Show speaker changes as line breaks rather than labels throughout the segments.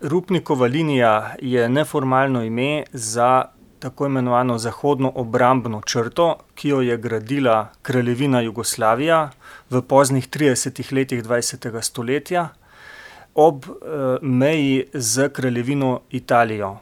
Rupnikova linija je neformalno ime za tako imenovano zahodno obrambno črto, ki jo je gradila Kraljevina Jugoslavija v poznih 30 letih 20. stoletja ob meji z Kraljevino Italijo.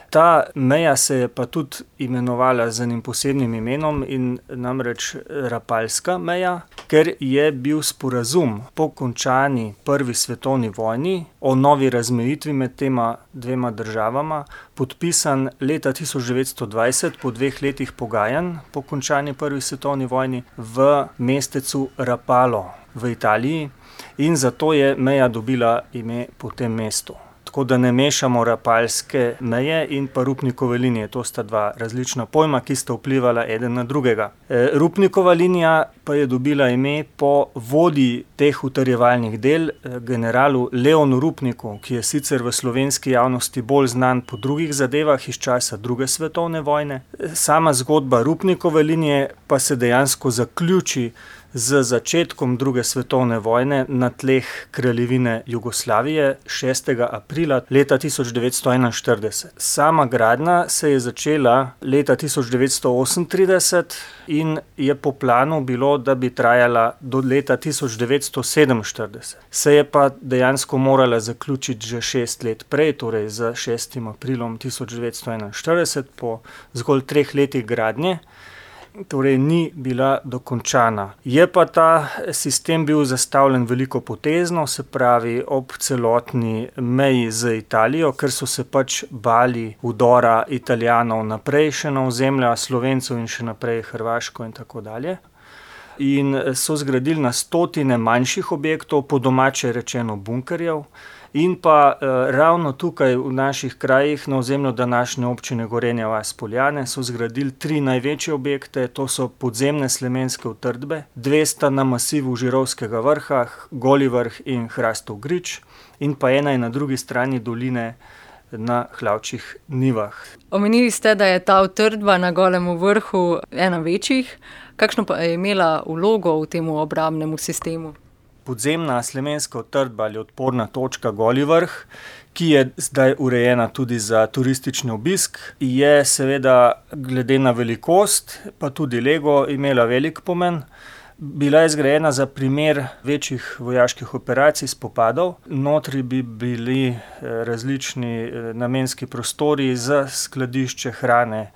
Ta meja se je pa tudi imenovala z enim posebnim imenom, in namreč Rapalska meja, ker je bil sporazum po končani prvi svetovni vojni o novi razmejitvi med tema dvema državama podpisan leta 1920 po 2 letih pogajanj po končani prvi svetovni vojni v mestecu Rapalo v Italiji, in zato je meja dobila ime po tem mestu. Tako da ne mešamo Rapalske meje in pa Rupnikove linije. To sta dva različna pojma, ki sta vplivala eden na drugega. Rupnikova linija pa je dobila ime po vodji teh utrjevalnih del, generalu Leonu Rupniku, ki je sicer v slovenski javnosti bolj znan po drugih zadevah iz časa druge svetovne vojne. Sama zgodba Rupnikove linije pa se dejansko zaključi z začetkom druge svetovne vojne na tleh Kraljevine Jugoslavije 6. aprila leta 1941. Sama gradnja se je začela leta 1938 in je po planu bilo, da bi trajala do leta 1947. Se je pa dejansko morala zaključiti že 6 let prej, torej z 6. aprilom 1941, po zgolj 3 letih gradnje. Torej ni bila dokončana. Je pa ta sistem bil zastavljen velikopotezno, se pravi ob celotni meji z Italijo, ker so se pač bali vdora Italijanov naprej še na ozemlja Slovencev in še naprej Hrvaško in tako dalje. In so zgradili na stotine manjših objektov, po domače rečeno bunkerjev. In pa ravno tukaj v naših krajih, na ozemlju današnje občine Gorenja vas - Poljane, so zgradili 3 največje objekte, to so podzemne slemenske utrdbe, 2 sta na masivu Žirovskega vrha, Goli vrh in Hrastov grič, in pa ena je na drugi strani doline na Hlavčjih nivah.
Omenili ste, da je ta utrdba na Golem vrhu ena večjih. Kakšno pa je imela vlogo v tem obrambnem sistemu?
Podzemna slemenska utrdba ali odporna točka Goli vrh, ki je zdaj urejena tudi za turistični obisk, je seveda glede na velikost, pa tudi lego, imela velik pomen. Bila je zgrajena za primer večjih vojaških operacij, spopadov. Notri bi bili različni namenski prostori za skladišče hrane,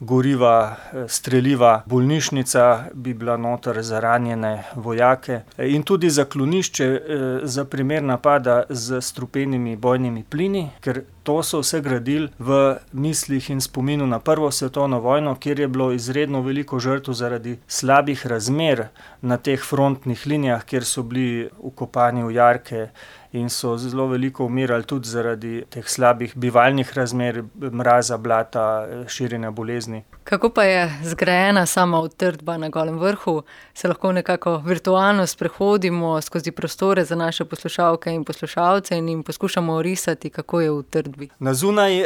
goriva, streliva, bolnišnica bi bila noter za ranjene vojake in tudi zaklonišče za primer napada z strupenimi bojnimi plini, ker to so vse gradili v mislih in spominu na Prvo svetovno vojno, kjer je bilo izredno veliko žrtev zaradi slabih razmer na teh frontnih linijah, kjer so bili vkopani v jarke in so zelo veliko umirali tudi zaradi teh slabih bivalnih razmer, mraza, blata, širjenja bolezni.
Kako pa je zgrajena sama utrdba na Golem vrhu? Se lahko nekako virtualno sprehodimo skozi prostore za naše poslušalke in poslušalce in jim poskušamo orisati, kako je v utrdbi?
Na zunaj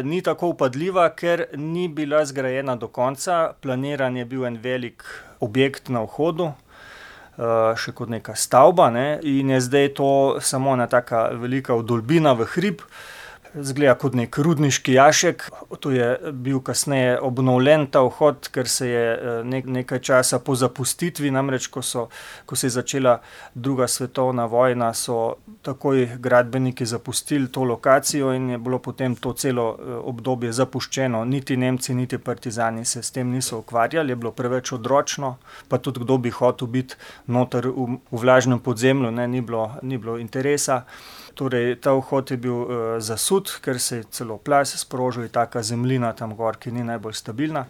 ni tako vpadljiva, ker ni bila zgrajena do konca. Planiran je bil en velik objekt na vhodu, še kot neka stavba, ne, in je zdaj to samo ena taka velika vdolbina v hrib. Zgleda kot nek rudniški jašek. To je bil kasneje obnovljen ta vhod, ker se je nekaj časa po zapustitvi, namreč ko se je začela druga svetovna vojna, so takoj gradbeniki zapustili to lokacijo in je bilo potem to celo obdobje zapuščeno. Niti Nemci, niti partizani se s tem niso ukvarjali, je bilo preveč odročno, pa tudi kdo bi hotel biti noter v vlažnem podzemlju, ne, ni bilo interesa. Torej, ta vhod je bil zasut, ker se je celo plaz sprožil, taka zemljina tam gor, ki ni najbolj stabilna.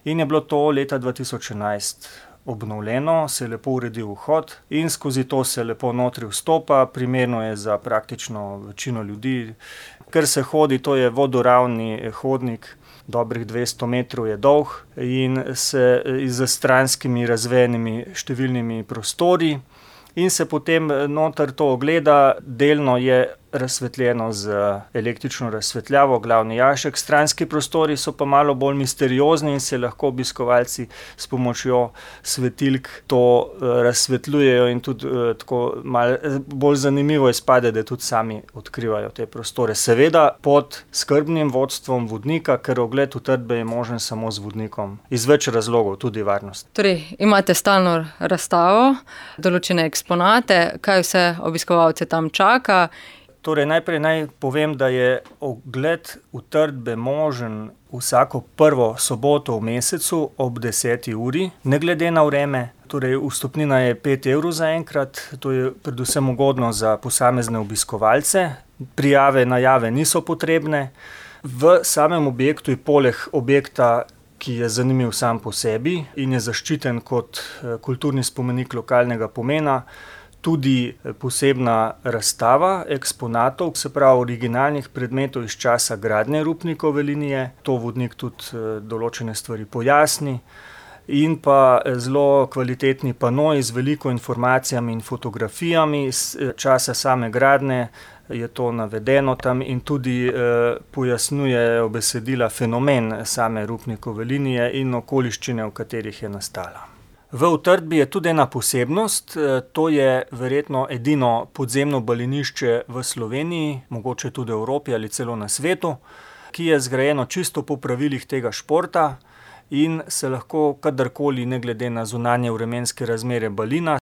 In je bilo to leta 2011 obnovljeno, se je lepo uredil vhod in skozi to se lepo notri vstopa, primerno je za praktično večino ljudi. Ker se hodi, to je vodoravni hodnik, dobrih 200 metrov je dolg in se z stranskimi razvejenimi številnimi prostori. In se potem noter to ogleda, delno je razsvetljeno z električno razsvetljavo, glavni jašek. Stranski prostori so pa malo bolj misteriozni in se lahko obiskovalci s pomočjo svetilk to razsvetljujejo in tudi tako malo bolj zanimivo izpade, da tudi sami odkrivajo te prostore. Seveda pod skrbnim vodstvom vodnika, ker ogled utrdbe je možen samo z vodnikom. Iz več razlogov, tudi varnost.
Torej, imate stalno razstavo, določene eksponate, kaj vse obiskovalce tam čaka?
Torej, najprej naj povem, da je ogled utrdbe možen vsako prvo soboto v mesecu ob 10. uri, ne glede na vreme. Torej, vstopnina je 5 evrov za enkrat, to je predvsem ugodno za posamezne obiskovalce. Prijave, najave niso potrebne. V samem objektu je poleg objekta, ki je zanimiv sam po sebi in je zaščiten kot kulturni spomenik lokalnega pomena, tudi posebna razstava eksponatov, se pravi originalnih predmetov iz časa gradnje Rupnikove linije. To vodnik tudi določene stvari pojasni. In pa zelo kvalitetni panoj z veliko informacijami in fotografijami iz časa same gradnje, je to navedeno tam in tudi pojasnjuje besedila fenomen same Rupnikove linije in okoliščine, v katerih je nastala. V utrdbi je tudi ena posebnost, to je verjetno edino podzemno balinišče v Sloveniji, mogoče tudi v Evropi ali celo na svetu, ki je zgrajeno čisto po pravilih tega športa in se lahko kadarkoli, ne glede na zunanje vremenske razmere balina,